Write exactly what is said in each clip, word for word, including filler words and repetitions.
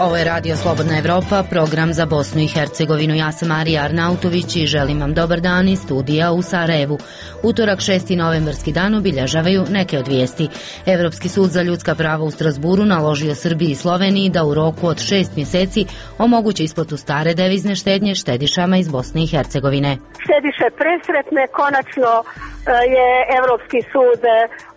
Ovo je Radio Slobodna Evropa, program za Bosnu i Hercegovinu. Ja sam Marija Arnautović i želim vam dobar dan iz studija u Sarajevu. Utorak šesti novembarski dan obilježavaju neke od vijesti. Evropski sud za ljudska prava u Strasburu naložio Srbiji i Sloveniji da u roku od šest mjeseci omogući isplatu stare devizne štednje štedišama iz Bosne i Hercegovine. Štediše presretne, konačno je Evropski sud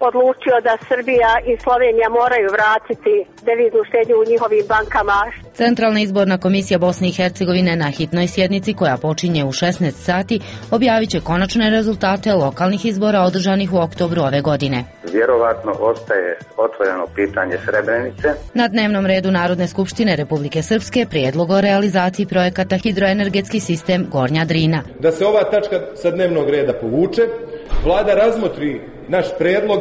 odlučio da Srbija i Slovenija moraju vratiti deviznu štednju u njihovim bankama. Centralna izborna komisija Bosne i Hercegovine na hitnoj sjednici koja počinje u šesnaest sati objavit će konačne rezultate lokalnih izbora održanih u oktobru ove godine. Vjerovatno ostaje otvoreno pitanje Srebrenice. Na dnevnom redu Narodne skupštine Republike Srpske prijedlog o realizaciji projekata hidroenergetski sistem Gornja Drina. Da se ova tačka sa dnevnog reda povuče, Vlada razmotri naš prijedlog,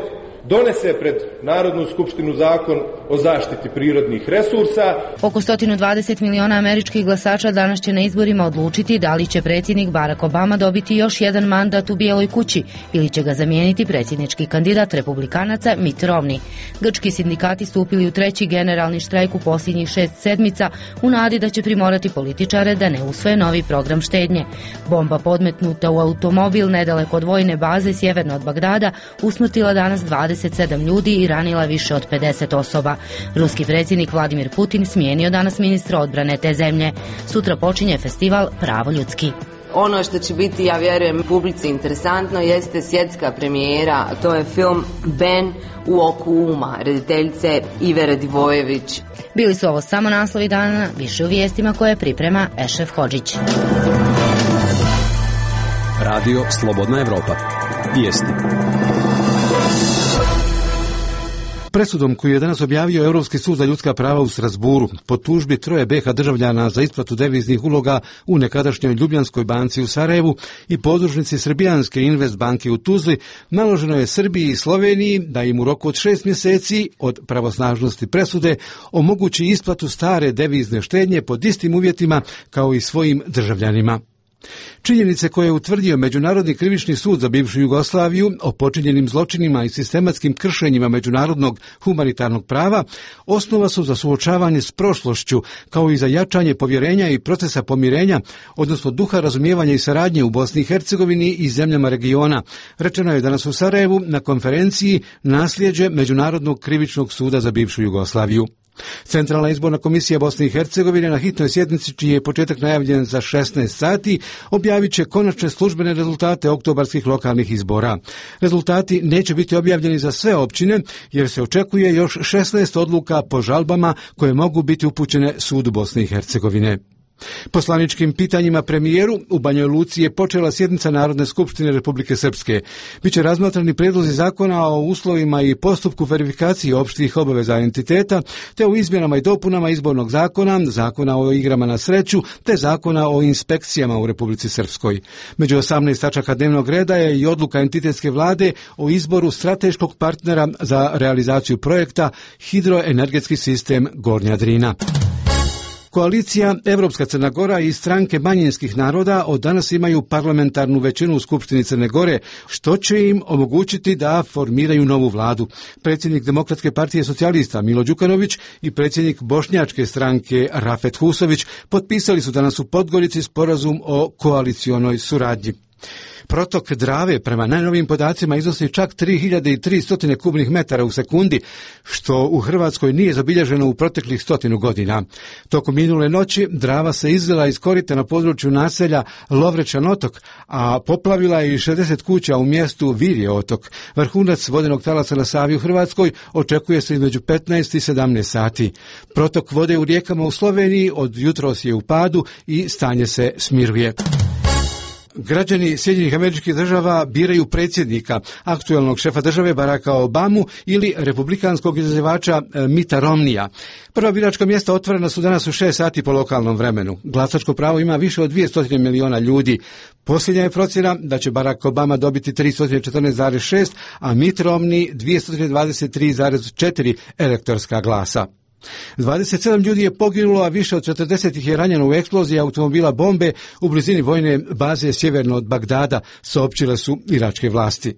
donese pred Narodnu skupštinu zakon o zaštiti prirodnih resursa. Oko sto dvadeset miliona američkih glasača danas će na izborima odlučiti da li će predsjednik Barack Obama dobiti još jedan mandat u Bijeloj kući ili će ga zamijeniti predsjednički kandidat republikanaca Mitt Romney. Grčki sindikati stupili u treći generalni štrajk u posljednjih šest sedmica u nadi da će primorati političare da ne usvoje novi program štednje. Bomba podmetnuta u automobil nedaleko od vojne baze sjeverno od Bagdada usmrtila danas dvadeset sedam ljudi i ranila više od pedeset osoba. Ruski predsjednik Vladimir Putin smijenio danas ministra odbrane te zemlje. Sutra počinje festival Pravo ljudski. Ono što će biti, ja vjerujem, publici interesantno jeste svjetska premijera, to je film Ben u oku uma, rediteljice Ive Radivojević. Bili su ovo samo naslovi dana, više u vijestima koje priprema Ešef Hodžić. Radio Slobodna Evropa. Vijesti. Presudom koju je danas objavio Europski sud za ljudska prava u Strasburu po tužbi troje be ha državljana za isplatu deviznih uloga u nekadašnjoj Ljubljanskoj banci u Sarajevu i podružnici Srbijanske Invest banke u Tuzli, naloženo je Srbiji i Sloveniji da im u roku od šest mjeseci od pravosnažnosti presude omogući isplatu stare devizne štednje pod istim uvjetima kao i svojim državljanima. Činjenice koje je utvrdio Međunarodni krivični sud za bivšu Jugoslaviju o počinjenim zločinima i sistematskim kršenjima međunarodnog humanitarnog prava osnova su za suočavanje s prošlošću, kao i za jačanje povjerenja i procesa pomirenja, odnosno duha razumijevanja i saradnje u Bosni i Hercegovini i zemljama regiona, rečeno je danas u Sarajevu na konferenciji Nasljeđe Međunarodnog krivičnog suda za bivšu Jugoslaviju. Centralna izborna komisija Bosne i Hercegovine na hitnoj sjednici, čiji je početak najavljen za šesnaest sati, objavit će konačne službene rezultate oktobarskih lokalnih izbora. Rezultati neće biti objavljeni za sve općine, jer se očekuje još šesnaest odluka po žalbama koje mogu biti upućene sudu Bosne i Hercegovine. Poslaničkim pitanjima premijeru u Banjoj Luci je počela sjednica Narodne skupštine Republike Srpske. Biće razmatrani prijedlozi zakona o uslovima i postupku verifikacije opštih obaveza entiteta, te o izmjenama i dopunama izbornog zakona, zakona o igrama na sreću, te zakona o inspekcijama u Republici Srpskoj. Među osamnaest tačaka dnevnog reda je i odluka entitetske vlade o izboru strateškog partnera za realizaciju projekta hidroenergetski sistem Gornja Drina. Koalicija Evropska Crna Gora i stranke manjinskih naroda od danas imaju parlamentarnu većinu u Skupštini Crne Gore, što će im omogućiti da formiraju novu vladu. Predsjednik Demokratske partije socijalista Milo Đukanović i predsjednik Bošnjačke stranke Rafet Husović potpisali su danas u Podgorici sporazum o koalicionoj suradnji. Protok Drave prema najnovijim podacima iznosi čak tri hiljade tristo kubnih metara u sekundi, što u Hrvatskoj nije zabilježeno u proteklih stotinu godina. Tokom minule noći Drava se izlila iz korita na području naselja Lovrečan otok, a poplavila je i šezdeset kuća u mjestu Virje otok. Vrhunac vodenog talasa na Savi u Hrvatskoj očekuje se između petnaest i sedamnaest sati. Protok vode u rijekama u Sloveniji od jutros je u padu i stanje se smiruje. Građani Sjedinjenih Američkih Država biraju predsjednika, aktualnog šefa države Baracka Obamu ili republikanskog izazivača Mitta Romneya. Prva biračka mjesta otvorena su danas u šest sati po lokalnom vremenu. Glasačko pravo ima više od dvjesto miliona ljudi. Posljednja je procjena da će Barack Obama dobiti tristo četrnaest zarez šest, a Mitt Romney dvjesto dvadeset tri zarez četiri elektorska glasa. dvadeset sedam ljudi je poginulo, a više od četrdeset ih je ranjeno u eksploziji automobila bombe u blizini vojne baze sjeverno od Bagdada, saopćile su iračke vlasti.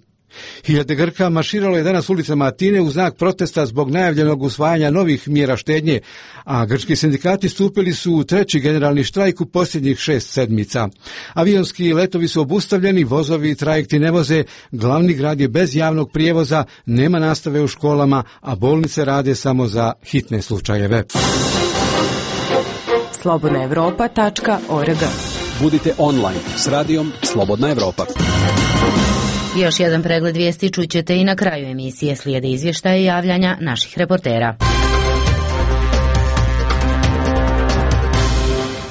Hiljade Grka marširalo je danas ulicama Atine u znak protesta zbog najavljenog usvajanja novih mjera štednje, a grčki sindikati stupili su u treći generalni štrajk u posljednjih šest sedmica. Avionski letovi su obustavljeni, vozovi i trajekti ne voze, glavni grad je bez javnog prijevoza, nema nastave u školama, a bolnice rade samo za hitne slučajeve. slobodna europa tačka org. Budite online s radijom Slobodna Evropa. Još jedan pregled vijesti čućete i na kraju emisije. Slijede izvještaje i javljanja naših reportera.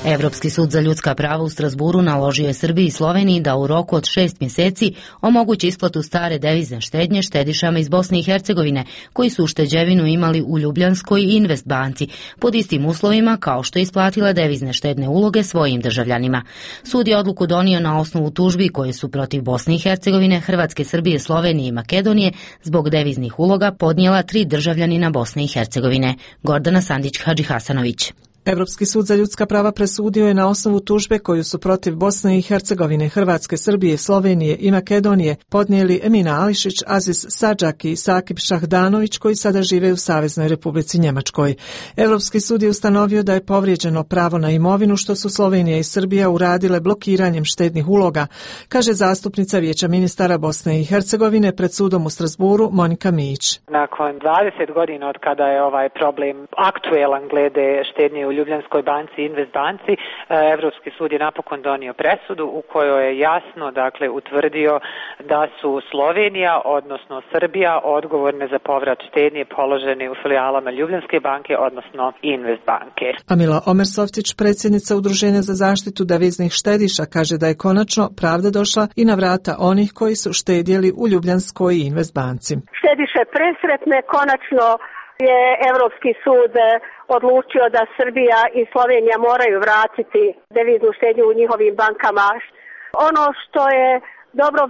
Evropski sud za ljudska prava u Strasburu naložio je Srbiji i Sloveniji da u roku od šest mjeseci omogući isplatu stare devizne štednje štedišama iz Bosne i Hercegovine koji su ušteđevinu imali u Ljubljanskoj i Invest banci pod istim uslovima kao što je isplatila devizne štedne uloge svojim državljanima. Sud je odluku donio na osnovu tužbi koje su protiv Bosne i Hercegovine, Hrvatske, Srbije, Slovenije i Makedonije zbog deviznih uloga podnijela tri državljanina Bosne i Hercegovine. Gordana Sandić-Hadžihasanović. Evropski sud za ljudska prava presudio je na osnovu tužbe koju su protiv Bosne i Hercegovine, Hrvatske, Srbije, Slovenije i Makedonije podnijeli Emina Ališić, Aziz Sadžak i Sakib Šahdanović koji sada žive u Saveznoj Republici Njemačkoj. Evropski sud je ustanovio da je povrijeđeno pravo na imovinu što su Slovenija i Srbija uradile blokiranjem štednih uloga, kaže zastupnica Vijeća ministara Bosne i Hercegovine pred sudom u Strasburu Monika Mijić. Nakon dvadeset godina od kada je ovaj problem aktuelan glede štednje u Ljubljanskoj banci i Invest banci, Evropski sud je napokon donio presudu u kojoj je jasno, dakle, utvrdio da su Slovenija, odnosno Srbija, odgovorne za povrat štednje položene u filijalama Ljubljanske banke, odnosno Invest banke. Amila Omersovtić, predsjednica Udruženja za zaštitu deviznih štediša, kaže da je konačno pravda došla i na vrata onih koji su štedjeli u Ljubljanskoj i Invest banci. Štediše presretne, konačno je Evropski sud odlučio da Srbija i Slovenija moraju vratiti deviznu štednju u njihovim bankama. Ono što je dobro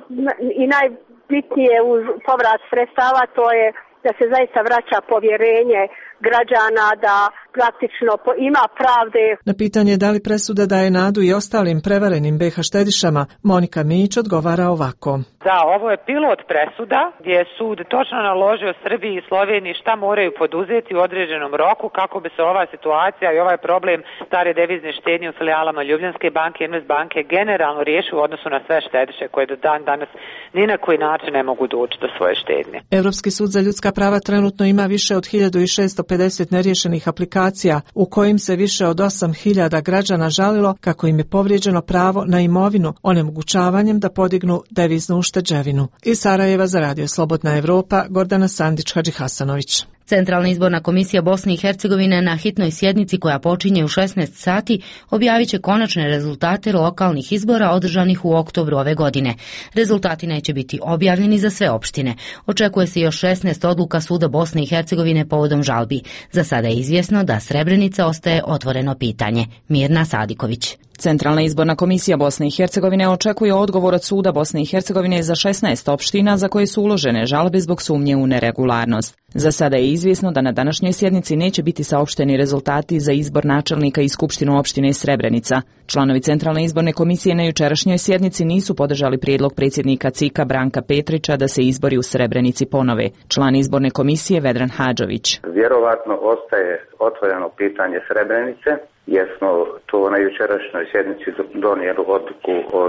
i najbitnije uz povrat sredstava, to je da se zaista vraća povjerenje građana, da praktično ima pravde. Na pitanje da li presuda daje nadu i ostalim prevarenim be ha štedišama, Monika Mijić odgovara ovako. Da, ovo je pilot presuda gdje je sud točno naložio Srbiji i Sloveniji šta moraju poduzeti u određenom roku kako bi se ova situacija i ovaj problem stare devizne štednje u filijalama Ljubljanske banke i Invest banke generalno riješio u odnosu na sve štediše koje do dan danas ni na koji način ne mogu doći do svoje štednje. Evropski sud za ljudska prava trenutno ima više od hiljadu šesto pedeset neriješenih aplikacija u kojim se više od osam hiljada građana žalilo kako im je povrijeđeno pravo na imovinu onemogućavanjem da podignu deviznu ušteđevinu. Iz Sarajeva za Radio Slobodna Evropa, Gordana Sandić-Hadžihasanović. Centralna izborna komisija Bosne i Hercegovine na hitnoj sjednici koja počinje u šesnaest sati objavit će konačne rezultate lokalnih izbora održanih u oktobru ove godine. Rezultati neće biti objavljeni za sve opštine. Očekuje se još šesnaest odluka suda Bosne i Hercegovine povodom žalbi. Za sada je izvjesno da Srebrenica ostaje otvoreno pitanje. Mirna Sadiković. Centralna izborna komisija Bosne i Hercegovine očekuje odgovor od suda Bosne i Hercegovine za šesnaest opština za koje su uložene žalbe zbog sumnje u neregularnost. Za sada je izvjesno da na današnjoj sjednici neće biti saopšteni rezultati za izbor načelnika i skupštinu opštine Srebrenica. Članovi Centralne izborne komisije na jučerašnjoj sjednici nisu podržali prijedlog predsjednika C I K-a Branka Petrića da se izbori u Srebrenici ponove. Član izborne komisije Vedran Hadžović. Vjerovatno ostaje otvoreno pitanje Srebrenice, jer smo to na jučerašnjoj sjednici donijeli odluku o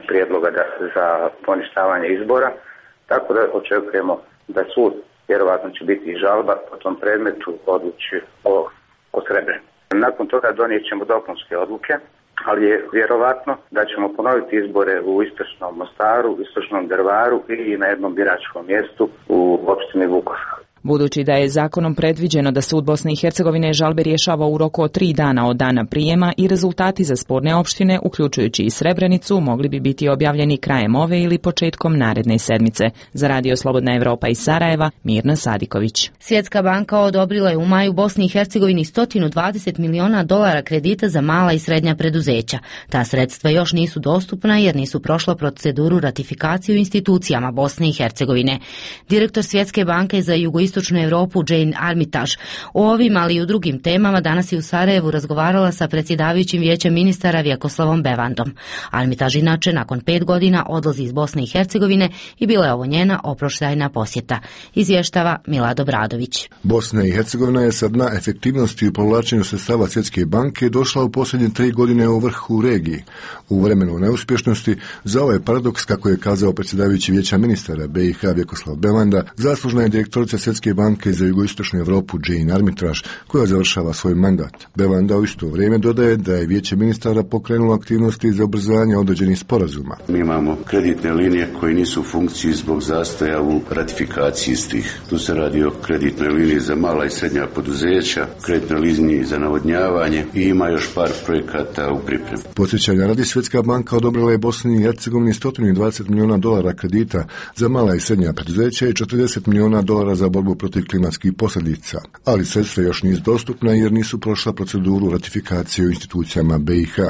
prijedloga za poništavanje izbora, tako da očekujemo da sud, vjerovatno će biti i žalba po tom predmetu, odluči o, o Srebrenici. Nakon toga donijet ćemo dopunske odluke, ali je vjerovatno da ćemo ponoviti izbore u istočnom Mostaru, istočnom Drvaru i na jednom biračkom mjestu u opštini Vukovar. Budući da je zakonom predviđeno da sud Bosne i Hercegovine žalbe rješava u roku od tri dana od dana prijema i rezultati za sporne opštine, uključujući i Srebrenicu, mogli bi biti objavljeni krajem ove ili početkom naredne sedmice. Za Radio Slobodna Evropa iz Sarajeva, Mirna Sadiković. Svjetska banka odobrila je u maju Bosni i Hercegovini sto dvadeset miliona dolara kredita za mala i srednja preduzeća. Ta sredstva još nisu dostupna jer nisu prošla proceduru ratifikacije u institucijama Bosne i Hercegovine. Direktor Svjetske banke za jugoistočnu jugoistočnu Europu Jane Armitage. O ovim, ali i u drugim temama danas je u Sarajevu razgovarala sa predsjedavajućim vijećem ministara Vjekoslavom Bevandom. Armitage inače nakon pet godina odlazi iz Bosne i Hercegovine i bila je ovo njena oproštajna posjeta. Izvještava Milad Obradović. Bosna i Hercegovina je sa dna efektivnosti u povlačenju sredstava Svjetske banke došla u posljednje tri godine u vrhu u regiji. U vremenu neuspješnosti za ovaj paradoks, kako je kazao predsjedavajući vijeća ministara B i H Vjekoslav Bevanda, zaslužna je direktorica Svjetske banke za jugoistočnu Europu Jane Armitage, koja završava svoj mandat. Bevanda u isto vrijeme dodaje da je vijeće ministara pokrenulo aktivnosti za ubrzanje određenih sporazuma. Mi imamo kreditne linije koje nisu u funkciji zbog zastoja u ratifikaciji istih. Tu se radi o kreditnoj liniji za mala i srednja poduzeća, kreditnoj liniji za navodnjavanje i ima još par projekata u pripremi. Podsjećanja radi, Svjetska banka odobrila je Bosni i Hercegovini sto dvadeset milijuna dolara kredita za mala i srednja poduzeća i četrdeset milijuna dolara za borbu protiv klimatskih posljedica, ali sredstva još nisu dostupna jer nisu prošla proceduru ratifikacije u institucijama B i H.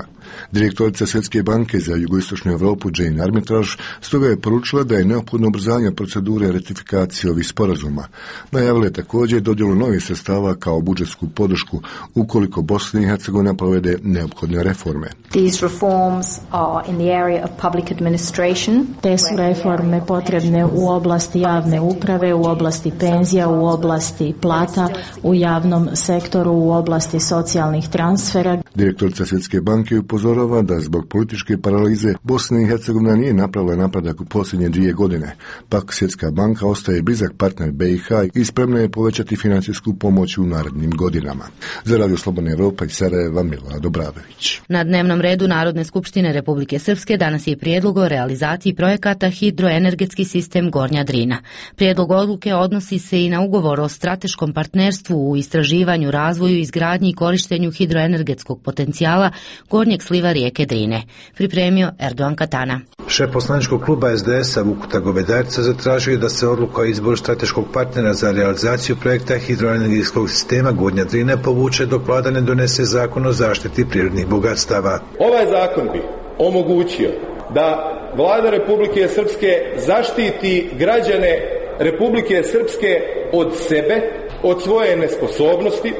Direktorica Svjetske banke za jugoistočnu Europu Jane Armitage stoga je poručila da je neophodno ubrzanje procedure ratifikacije ovih sporazuma. Najavila je također dodjelu novih sredstava kao budžetsku podršku ukoliko Bosna i Hercegovina provede neophodne reforme. These reforms are in the area of public administration. Te su reforme potrebne u oblasti javne uprave, u oblasti penzija, u oblasti plata, u javnom sektoru, u oblasti socijalnih transfera. Direktorica Svjetske banke upozorava da zbog političke paralize Bosna i Hercegovina nije napravila napredak u posljednje dvije godine. Pak Svjetska banka ostaje blizak partner B i H i spremna je povećati financijsku pomoć u narednim godinama. Za Radio Slobodna Evropa iz Sarajeva, Milad Obradović. Na dnevnom redu Narodne skupštine Republike Srpske danas je prijedlog o realizaciji projekata Hidroenergetski sistem Gornja Drina. Prijedlog odluke odnosi se i na ugovor o strateškom partnerstvu u istraživanju, razvoju, izgradnji i korištenju hidroenergetskog potencijala gornjeg sliva rijeke Drine. Pripremio Erdogan Katana. Šef poslaničkog kluba S D S-a Vukuta Govedarca zatražio je da se odluka o izboru strateškog partnera za realizaciju projekta hidroenergetskog sistema Gornja Drina povuče dok vlada ne donese zakon o zaštiti prirodnih bogatstava. Ovaj zakon bi omogućio da vlada Republike Srpske zaštiti građane Republike Srpske od sebe, od svoje nesposobnosti,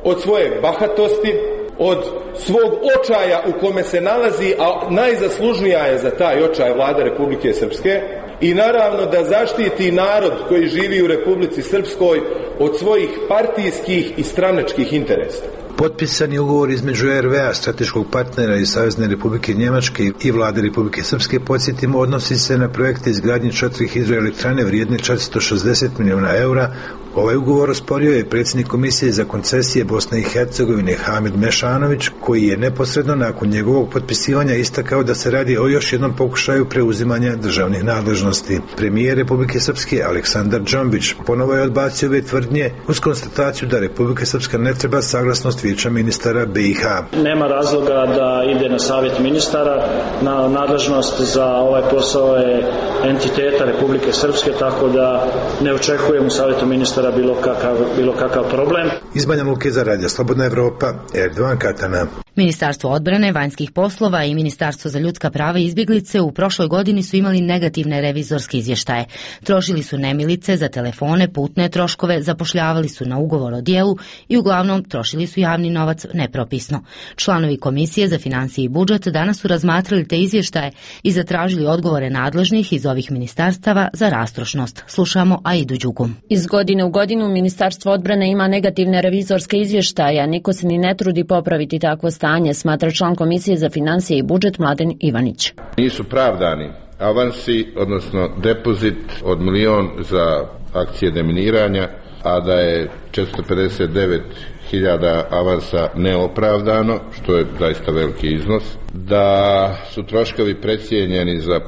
od svoje bahatosti, od svog očaja u kome se nalazi, a najzaslužnija je za taj očaj vlada Republike Srpske, i naravno da zaštiti narod koji živi u Republici Srpskoj od svojih partijskih i stranačkih interesa. Potpisani ugovor između R V A, strateškog partnera iz Savezne Republike Njemačke i vlade Republike Srpske, podsjetimo, odnosi se na projekte izgradnje četiri hidroelektrane vrijedne četiristo šezdeset milijuna eura. Ovaj ugovor osporio je predsjednik Komisije za koncesije Bosne i Hercegovine Hamid Mešanović, koji je neposredno nakon njegovog potpisivanja istakao da se radi o još jednom pokušaju preuzimanja državnih nadležnosti. Premijer Republike Srpske Aleksandar Džombić ponovo je odbacio ove tvrdnje uz konstataciju da Republika Srpska ne treba saglasnost vijeća ministara B i H. Nema razloga da ide na savjet ministara, na nadležnost za ovaj posao je entiteta Republike Srpske, tako da ne očekujemo u savjetu ministara bilo kakav, bilo kakav problem. Iz Banja Luke za Radio Slobodna Evropa, Erdogan Katana. Ministarstvo odbrane, vanjskih poslova i Ministarstvo za ljudska prava i izbjeglice u prošloj godini su imali negativne revizorske izvještaje. Trošili su nemilice za telefone, putne troškove, zapošljavali su na ugovor o djelu i uglavnom trošili su javni novac nepropisno. Članovi Komisije za financije i budžet danas su razmatrali te izvještaje i zatražili odgovore nadležnih iz ovih ministarstava za rastrošnost. Slušamo Aidu Đugu. Iz godine u godinu Ministarstvo odbrane ima negativne revizorske izvještaje, a niko se ni ne trudi popraviti takvo stanje, smatra član Komisije za financije i budžet Mladen Ivanić. Nisu pravdani avansi, odnosno depozit od milion za akcije deminiranja, a da je četiristo pedeset devet hiljada avansa neopravdano, što je zaista veliki iznos, da su troškovi precijenjeni za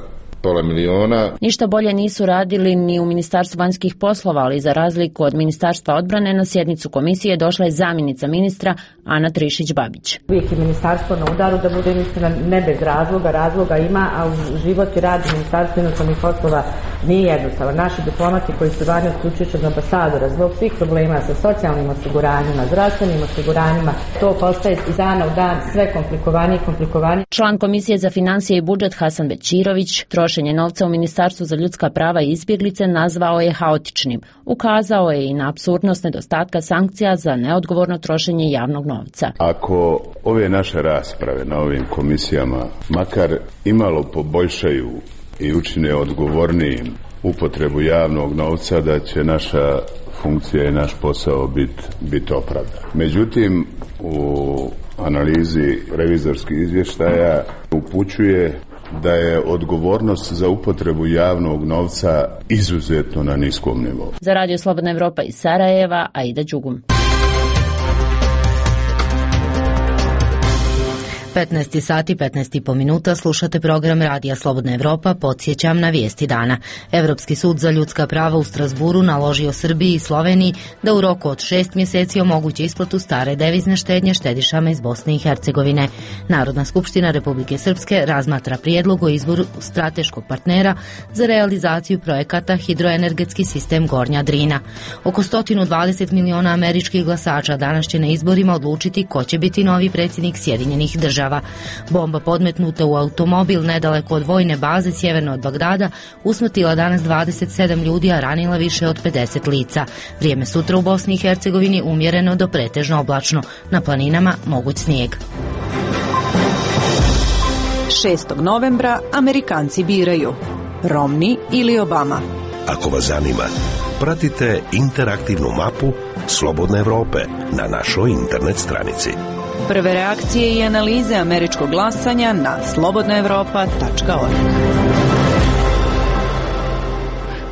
pola miliona. Ništa bolje nisu radili ni u Ministarstvu vanjskih poslova, ali za razliku od Ministarstva odbrane na sjednicu komisije došla je zamjenica ministra Ana Trišić-Babić. Uvijek je ministarstvo na udaru, da bude istina, ne bez razloga, razloga ima, a u život i rad Ministarstva inostranih poslova Nije jednostavno. Naši diplomati koji su vani uključujući od ambasadora zbog svih problema sa socijalnim osiguranjima, zdravstvenim osiguranjima, to postaje iz dana u dan sve komplikovanije i komplikovanije. Član Komisije za financije i budžet Hasan Bećirović trošenje novca u Ministarstvu za ljudska prava i izbjeglice nazvao je haotičnim. Ukazao je i na apsurdnost nedostatka sankcija za neodgovorno trošenje javnog novca. Ako ove naše rasprave na ovim komisijama makar imalo poboljšaju i učine odgovornijim upotrebu javnog novca, da će naša funkcija i naš posao biti bit opravdan. Međutim, u analizi revizorskih izvještaja upućuje da je odgovornost za upotrebu javnog novca izuzetno na niskom nivou. Za Radio Slobodna Evropa iz Sarajeva, Aida Đugum. petnaest sati petnaest i po minuta slušate program Radija Slobodna Evropa. Podsjećam na vijesti dana. Evropski sud za ljudska prava u Strasburu naložio Srbiji i Sloveniji da u roku od šest mjeseci omogući isplatu stare devizne štednje štedišama iz Bosne i Hercegovine. Narodna skupština Republike Srpske razmatra prijedlog o izboru strateškog partnera za realizaciju projekata hidroenergetski sistem Gornja Drina. Oko sto dvadeset miliona američkih glasača danas će na izborima odlučiti ko će biti novi predsjednik Sjedinjenih Država. Bomba podmetnuta u automobil nedaleko od vojne baze sjeverno od Bagdada usmrtila danas dvadeset sedam ljudi, a ranila više od pedeset lica. Vrijeme sutra u Bosni i Hercegovini umjereno do pretežno oblačno. Na planinama moguć snijeg. šestog novembra Amerikanci biraju Romney ili Obama. Ako vas zanima, pratite interaktivnu mapu Slobodne Evrope na našoj internet stranici. Prve reakcije i analize američkog glasanja na slobodna evropa tačka org.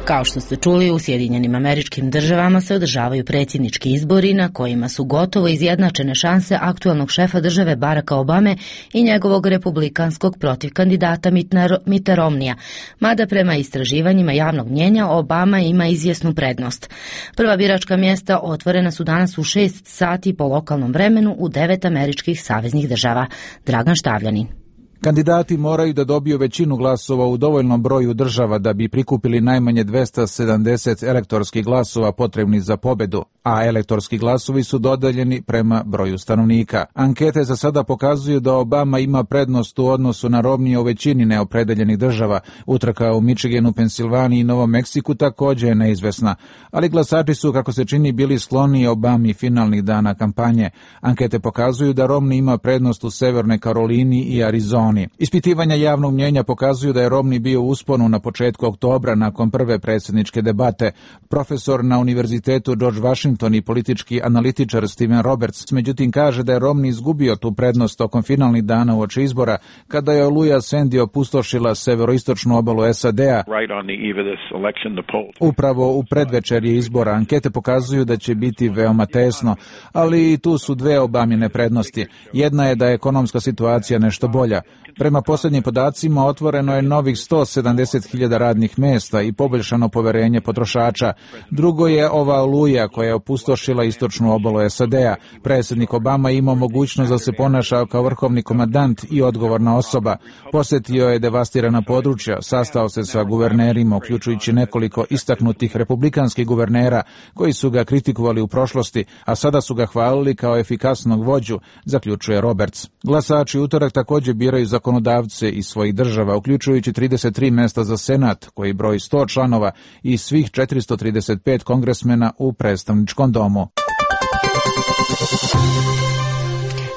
Kao što ste čuli, u Sjedinjenim Američkim Državama se održavaju predsjednički izbori na kojima su gotovo izjednačene šanse aktualnog šefa države Baracka Obame i njegovog republikanskog protiv kandidata Mitta Romneya, mada prema istraživanjima javnog mnjenja Obama ima izvjesnu prednost. Prva biračka mjesta otvorena su danas u šest sati po lokalnom vremenu u devet američkih saveznih država. Dragan Štavljanin. Kandidati moraju da dobiju većinu glasova u dovoljnom broju država da bi prikupili najmanje dvesta sedamdeset elektorskih glasova potrebnih za pobedu, a elektorski glasovi su dodeljeni prema broju stanovnika. Ankete za sada pokazuju da Obama ima prednost u odnosu na Romneya u većini neopredeljenih država. Utrka u Michiganu, Pensilvaniji i Novom Meksiku također je neizvesna, ali glasači su, kako se čini, bili skloni Obami finalnih dana kampanje. Ankete pokazuju da Romney ima prednost u Severnoj Karolini i Arizoni. Ispitivanja javnog mnjenja pokazuju da je Romney bio u usponu na početku oktobra nakon prve predsjedničke debate. Profesor na Univerzitetu George Washington i politički analitičar Steven Roberts međutim kaže da je Romney izgubio tu prednost tokom finalnih dana uoči izbora, kada je oluja Sandy opustošila severoistočnu obalu S A D-a. Upravo u predvečerje izbora ankete pokazuju da će biti veoma tesno, ali tu su dve Obamine prednosti. Jedna je da je ekonomska situacija nešto bolja. Prema posljednjim podacima otvoreno je novih sto sedamdeset hiljada radnih mjesta i poboljšano poverenje potrošača. Drugo je ova oluja koja je opustošila istočnu obalu S A D-a. Predsjednik Obama imao mogućnost da se ponaša kao vrhovni komandant i odgovorna osoba. Posjetio je devastirana područja, sastao se sa guvernerima, uključujući nekoliko istaknutih republikanskih guvernera koji su ga kritikovali u prošlosti, a sada su ga hvalili kao efikasnog vođu, zaključuje Roberts. Glasači utorak također biraju zakonodavce iz svojih država, uključujući trideset tri mjesta za Senat, koji broji sto članova, i svih četiristo trideset pet kongresmena u predstavničkom domu.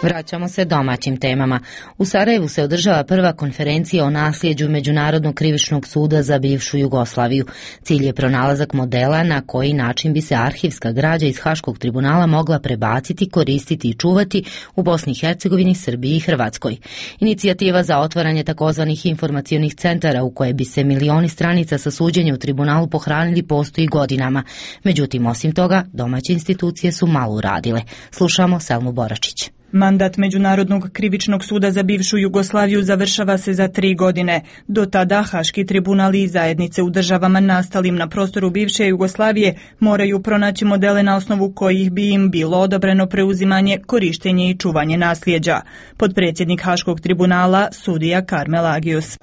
Vraćamo se domaćim temama. U Sarajevu se održava prva konferencija o nasljeđu Međunarodnog krivičnog suda za bivšu Jugoslaviju. Cilj je pronalazak modela na koji način bi se arhivska građa iz Haškog tribunala mogla prebaciti, koristiti i čuvati u Bosni i Hercegovini, Srbiji i Hrvatskoj. Inicijativa za otvaranje takozvanih informacionih centara u koje bi se milioni stranica sa suđenja u tribunalu pohranili postoji godinama. Međutim, osim toga, domaće institucije su malo uradile. Slušamo Selmu Boračić. Mandat Međunarodnog krivičnog suda za bivšu Jugoslaviju završava se za tri godine. Do tada Haški tribunal i zajednice u državama nastalim na prostoru bivše Jugoslavije moraju pronaći modele na osnovu kojih bi im bilo odobreno preuzimanje, korištenje i čuvanje nasljeđa. Podpredsjednik Haškog tribunala, sudija Karmel Agius.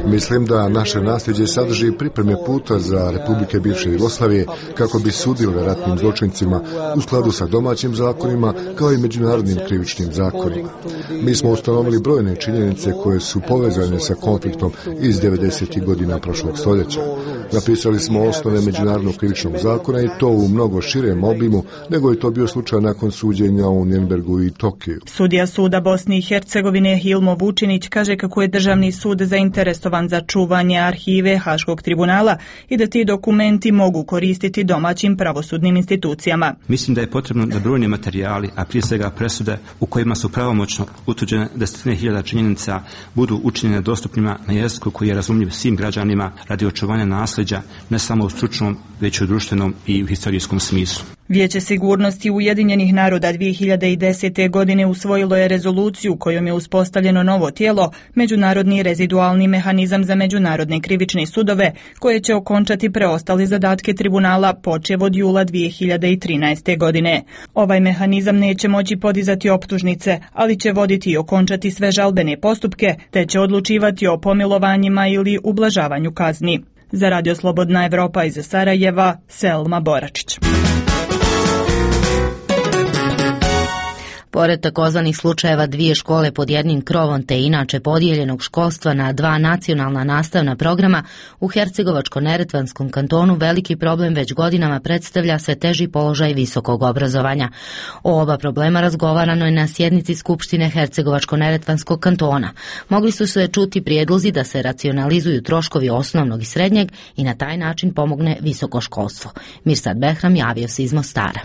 Mislim da naše nasljeđe sadrži pripreme puta za republike bivše Jugoslavije kako bi sudile ratnim zločincima u skladu sa domaćim zakonima kao i međunarodnim krivičnim zakonima. Mi smo ustanovili brojne činjenice koje su povezane sa konfliktom iz devedesetih godina prošlog stoljeća. Napisali smo osnove međunarodnog krivičnog zakona i to u mnogo širem obimu nego je to bio slučaj nakon suđenja u Nürnbergu i Tokiju. Sudija suda Bosne i Hercegovine Hilmo Vučinić kaže kako je državni sud zainteresovan za čuvanje arhive Haškog tribunala i da ti dokumenti mogu koristiti domaćim pravosudnim institucijama. Mislim da je potrebno da brojni materijali, a prije svega presude u kojima su pravomoćno utvrđene desetine hiljada činjenica, budu učinjene dostupnima na jeziku koji je razumljiv svim građanima radi očuvanja nasljeđa, ne samo u stručnom, već i u društvenom i u historijskom smislu. Vijeće sigurnosti Ujedinjenih naroda dvije hiljade desete. godine usvojilo je rezoluciju kojom je uspostavljeno novo tijelo, Međunarodni rezidualni mehanizam za međunarodne krivične sudove, koje će okončati preostale zadatke tribunala počev od jula dvije hiljade trinaeste. godine. Ovaj mehanizam neće moći podizati optužnice, ali će voditi i okončati sve žalbene postupke, te će odlučivati o pomilovanjima ili ublažavanju kazni. Za Radio Slobodna Evropa iz Sarajeva, Selma Boračić. Pored takozvanih slučajeva dvije škole pod jednim krovom te inače podijeljenog školstva na dva nacionalna nastavna programa, u Hercegovačko-neretvanskom kantonu veliki problem već godinama predstavlja sve teži položaj visokog obrazovanja. O oba problema razgovarano je na sjednici Skupštine Hercegovačko-neretvanskog kantona. Mogli su se čuti prijedlozi da se racionalizuju troškovi osnovnog i srednjeg i na taj način pomogne visoko školstvo. Mirsad Behram javio se iz Mostara.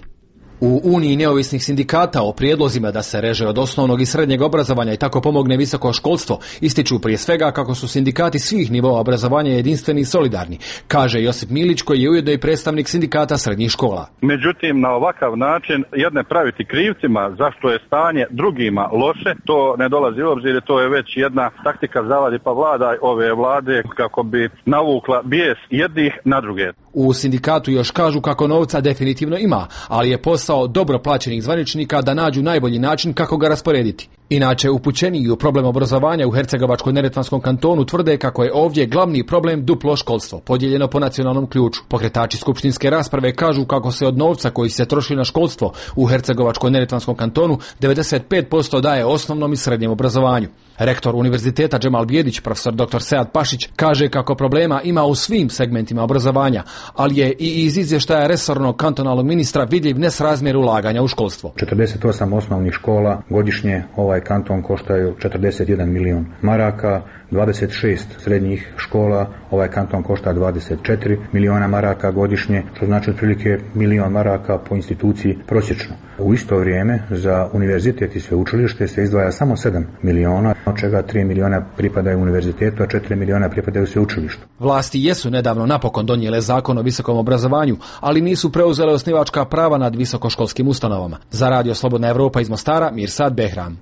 U Uniji neovisnih sindikata o prijedlozima da se reže od osnovnog i srednjeg obrazovanja i tako pomogne visoko školstvo ističu prije svega kako su sindikati svih nivoa obrazovanja jedinstveni i solidarni, kaže Josip Milić koji je ujedno i predstavnik sindikata srednjih škola. Međutim, na ovakav način jedne praviti krivcima zašto je stanje drugima loše, to ne dolazi u obzir, to je već jedna taktika zavadi pa vlada ove vlade kako bi navukla bijes jednih na druge. U sindikatu još kažu kako novca definitivno ima, ali je posao dobro plaćenih zvaničnika da nađu najbolji način kako ga rasporediti. Inače, upućeniji u problem obrazovanja u Hercegovačko-neretvanskom kantonu tvrde kako je ovdje glavni problem duplo školstvo, podijeljeno po nacionalnom ključu. Pokretači skupštinske rasprave kažu kako se od novca koji se troši na školstvo u Hercegovačko-neretvanskom kantonu devedeset pet posto daje osnovnom i srednjem obrazovanju. Rektor Univerziteta Džemal Bijedić, profesor doktor Sead Pašić, kaže kako problema ima u svim segmentima obrazovanja, ali je i iz izvještaja resornog kantonalnog ministra vidljiv nesrazmjer ulaganja u školstvo. četrdeset osam osnovnih škola godišnje ovaj kanton koštaju četrdeset jedan milion maraka, dvadeset šest srednjih škola, ovaj kanton košta dvadeset četiri miliona maraka godišnje, što znači otprilike milion maraka po instituciji prosječno. U isto vrijeme za univerzitet i sveučilište se izdvaja samo sedam miliona, od čega tri miliona pripadaju univerzitetu, a četiri miliona pripadaju sveučilištu. Vlasti jesu nedavno napokon donijele zakon o visokom obrazovanju, ali nisu preuzele osnivačka prava nad visokoškolskim ustanovama. Za Radio Slobodna Evropa iz Mostara, Mirsad Behram.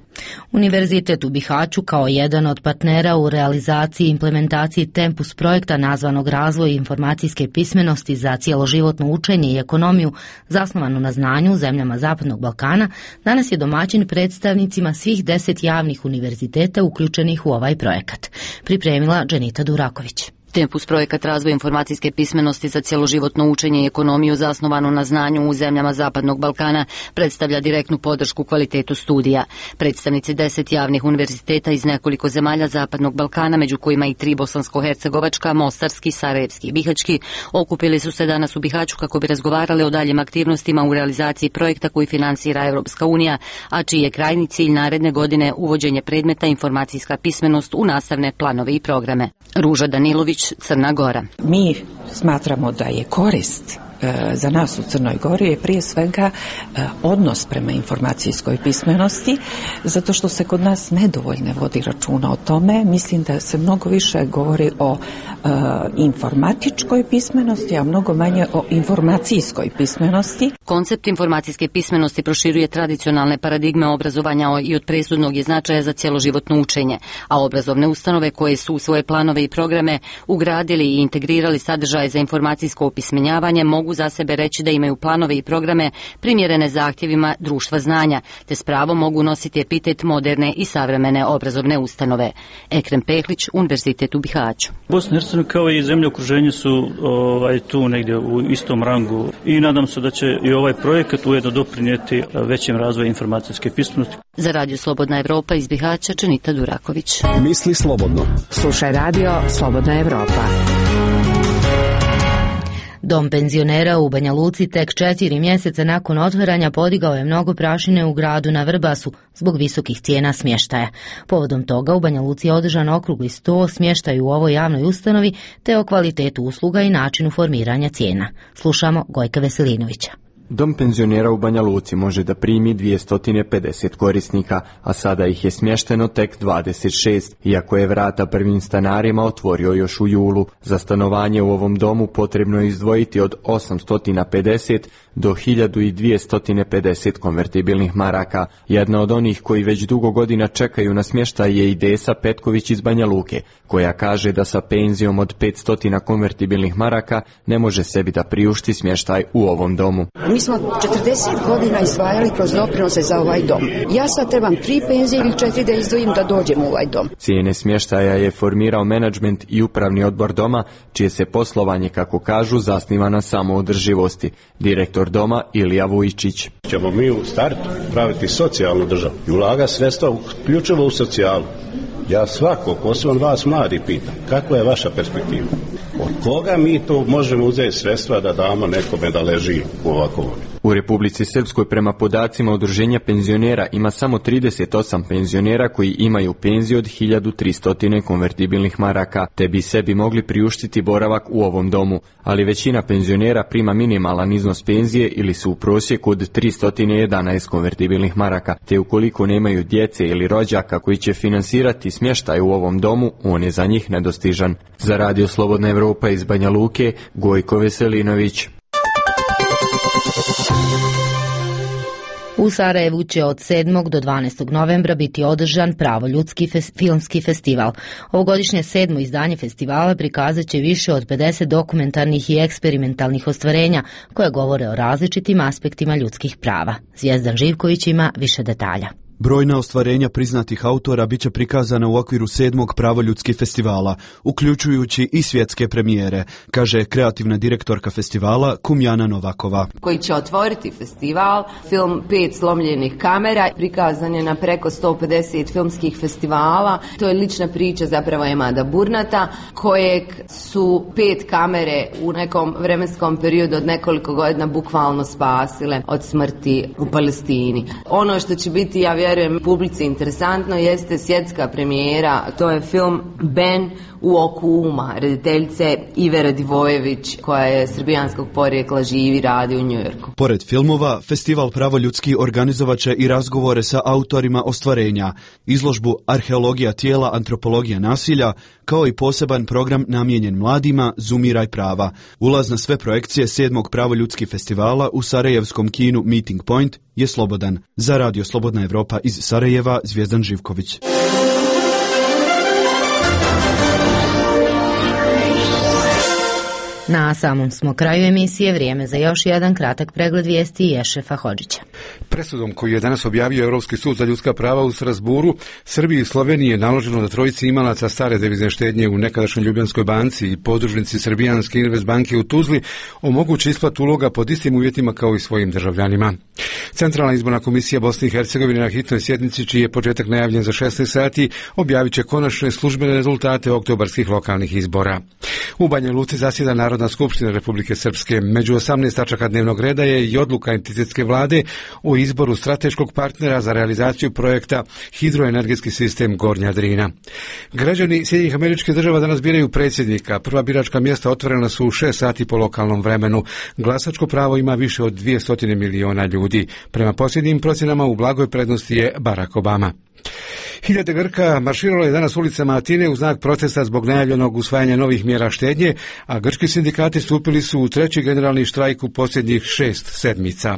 Univerzitet u Bihaću kao jedan od partnera u realizaciji i implementaciji Tempus projekta nazvanog Razvoj informacijske pismenosti za cjeloživotno učenje i ekonomiju zasnovanu na znanju u zemljama Zapadnog Balkana, danas je domaćin predstavnicima svih deset javnih univerziteta uključenih u ovaj projekat. Pripremila Dženita Duraković. Tempus projekat razvoj informacijske pismenosti za cjeloživotno učenje i ekonomiju zasnovanu na znanju u zemljama Zapadnog Balkana predstavlja direktnu podršku kvalitetu studija. Predstavnici deset javnih univerziteta iz nekoliko zemalja Zapadnog Balkana, među kojima i tri bosansko-hercegovačka, mostarski, sarajevski i bihaćki, okupili su se danas u Bihaću kako bi razgovarali o daljim aktivnostima u realizaciji projekta koji finansira Evropska unija, a čiji je krajnji cilj naredne godine uvođenje predmeta informacijska pismenost u nastavne planove i programe. Ruža Danilović, Crna Gora. Mi smatramo da je korist za nas u Crnoj Gori je prije svega odnos prema informacijskoj pismenosti, zato što se kod nas nedovoljno vodi računa o tome. Mislim da se mnogo više govori o informatičkoj pismenosti, a mnogo manje o informacijskoj pismenosti. Koncept informacijske pismenosti proširuje tradicionalne paradigme obrazovanja i od presudnog je značaja za cjeloživotno učenje, a obrazovne ustanove koje su u svoje planove i programe ugradili i integrirali sadržaje za informacijsko opismenjavanje mogu za sebe reći da imaju planove i programe primjerene zahtjevima društva znanja, te s pravom mogu nositi epitet moderne i savremene obrazovne ustanove. Ekrem Pehlić, Univerzitet u Bihaću. Bosna i Hercegovina kao i zemlje u okruženju su ovaj, tu negdje u istom rangu i nadam se da će i ovaj projekat ujedno doprinijeti većem razvoju informacijske pismenosti. Za Radio Slobodna Evropa iz Bihaća, Čenita Duraković. Misli slobodno. Slušaj Radio Slobodna Evropa. Dom penzionera u Banja Luci tek četiri mjeseca nakon otvaranja podigao je mnogo prašine u gradu na Vrbasu zbog visokih cijena smještaja. Povodom toga u Banja Luci je održan okrugli sto o smještaju u ovoj javnoj ustanovi te o kvalitetu usluga i načinu formiranja cijena. Slušamo Gojka Veselinovića. Dom penzionera u Banja Luci može da primi dvjesto pedeset korisnika, a sada ih je smješteno tek dvadeset šest, iako je vrata prvim stanarima otvorio još u julu. Za stanovanje u ovom domu potrebno je izdvojiti od osamsto pedeset do hiljadu dvjesto pedeset konvertibilnih maraka. Jedna od onih koji već dugo godina čekaju na smještaj je i Desa Petković iz Banja Luke, koja kaže da sa penzijom od petsto konvertibilnih maraka ne može sebi da priušti smještaj u ovom domu. Mi smo četrdeset godina izdvajali kroz doprinose za ovaj dom. Ja sad trebam tri penzije ili četiri da izdvojim da dođem u ovaj dom. Cijene smještaja je formirao menadžment i upravni odbor doma, čije se poslovanje, kako kažu, zasniva na samoodrživosti. Direktor doma Ilija Vujčić. Ćemo mi u startu praviti socijalnu državu i ulaga sredstva uključivo u socijalu. Ja svako, posebno vas mladi, pitam, kakva je vaša perspektiva? Od koga mi to možemo uzeti sredstva da damo nekome da leži u ovakvom? U Republici Srpskoj prema podacima udruženja penzionera ima samo trideset osam penzionera koji imaju penziju od hiljadu tristo konvertibilnih maraka, te bi sebi mogli priuštiti boravak u ovom domu, ali većina penzionera prima minimalan iznos penzije ili su u prosjeku od tristo jedanaest konvertibilnih maraka, te ukoliko nemaju djece ili rođaka koji će finansirati smještaj u ovom domu, on je za njih nedostižan. Za Radio Slobodna Evropa iz Banja Luke, Gojko Veselinović. U Sarajevu će od sedmog do dvanaestog novembra biti održan Pravoljudski fes- filmski festival. Ovogodišnje sedmo izdanje festivala prikazat će više od pedeset dokumentarnih i eksperimentalnih ostvarenja koje govore o različitim aspektima ljudskih prava. Zvijezdan Živković ima više detalja. Brojna ostvarenja priznatih autora biće prikazana u okviru sedmog Pravoljudski festivala, uključujući i svjetske premijere, kaže kreativna direktorka festivala Kumjana Novakova. Koji će otvoriti festival, film Pet slomljenih kamera, prikazan je na preko sto pedeset filmskih festivala. To je lična priča zapravo Emada Burnata, kojeg su pet kamere u nekom vremenskom periodu od nekoliko godina bukvalno spasile od smrti u Palestini. Ono što će biti, ja vjerujem, publici interesantno jeste svjetska premijera, to je film Ben u oku uma, rediteljice Ive Radivojević, koja je srbijanskog porijekla, živi i radi u Njujorku. Pored filmova, festival Pravoljudski organizovat će i razgovore sa autorima ostvarenja, izložbu Arheologija tijela, antropologija nasilja, kao i poseban program namijenjen mladima Zumiraj prava. Ulaz na sve projekcije sedmog Pravoljudski festivala u sarajevskom kinu Meeting Point je slobodan. Za Radio Slobodna Evropa iz Sarajeva, Zvijezdan Živković. Na samom smo kraju emisije, vrijeme za još jedan kratak pregled vijesti Ješefa Hodžića. Presudom koju je danas objavio Europski sud za ljudska prava u Strasburu, Srbiji i Sloveniji je naloženo da trojici imalaca stare devizne štednje u nekadašnjoj Ljubljanskoj banci i podružnici Srbijanske Invest banke u Tuzli omogući isplatu uloga pod istim uvjetima kao i svojim državljanima. Centralna izborna komisija Bosne i Hercegovine na hitnoj sjednici, čiji je početak najavljen za šesnaest sati, objavit će konačne službene rezultate oktobarskih lokalnih izbora. U Banja Luci zasjeda Narodna skupština Republike Srpske. Među osamnaest tačaka dnevnog reda je i odluka entitetske vlade o izboru strateškog partnera za realizaciju projekta Hidroenergetski sistem Gornja Drina. Građani Sjedinjenih Američkih Država danas biraju predsjednika. Prva biračka mjesta otvorena su u šest sati po lokalnom vremenu. Glasačko pravo ima više od dvjesto miliona ljudi. Prema posljednjim procjenama u blagoj prednosti je Barack Obama. Hiljade Grka marširalo je danas ulicama Atine u znak protesta zbog najavljenog usvajanja novih mjera štednje, a grčki sindikati stupili su u treći generalni štrajk u posljednjih šest sedmica.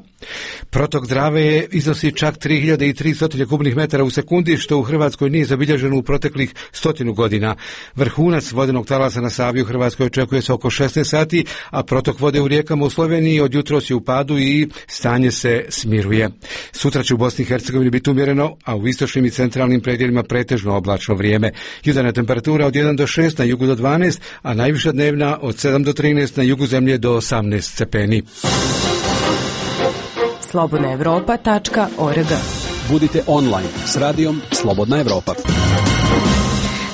Protok Drave iznosi čak tri hiljade tristo kubnih metara u sekundi, što u Hrvatskoj nije zabilježeno u proteklih stotinu godina. Vrhunac vodenog talasa na Savi u Hrvatskoj očekuje se oko šesnaest sati, a protok vode u rijekama u Sloveniji od jutros je u padu i stanje se smiruje. Sutra će u Bosni i Hercegovini biti umjereno, a u istočnim i centralnim predjelima pretežno oblačno vrijeme. Jutarnja temperatura od jedan do šest, na jugu do dvanaest, a najviša dnevna od sedam do trinaest, na jugu zemlje do osamnaest stepeni. slobodna evropa tačka org. Budite online s radijom Slobodna Evropa.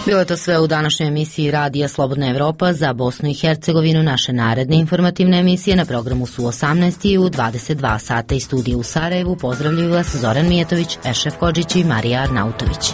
Bilo je to sve u današnjoj emisiji Radija Slobodna Evropa za Bosnu i Hercegovinu. Naše naredne informativne emisije na programu su u osamnaest i u dvadeset dva sata. Iz studija u Sarajevu pozdravljaju vas Zoran Mijetović, Ešef Kodžić i Marija Arnautović.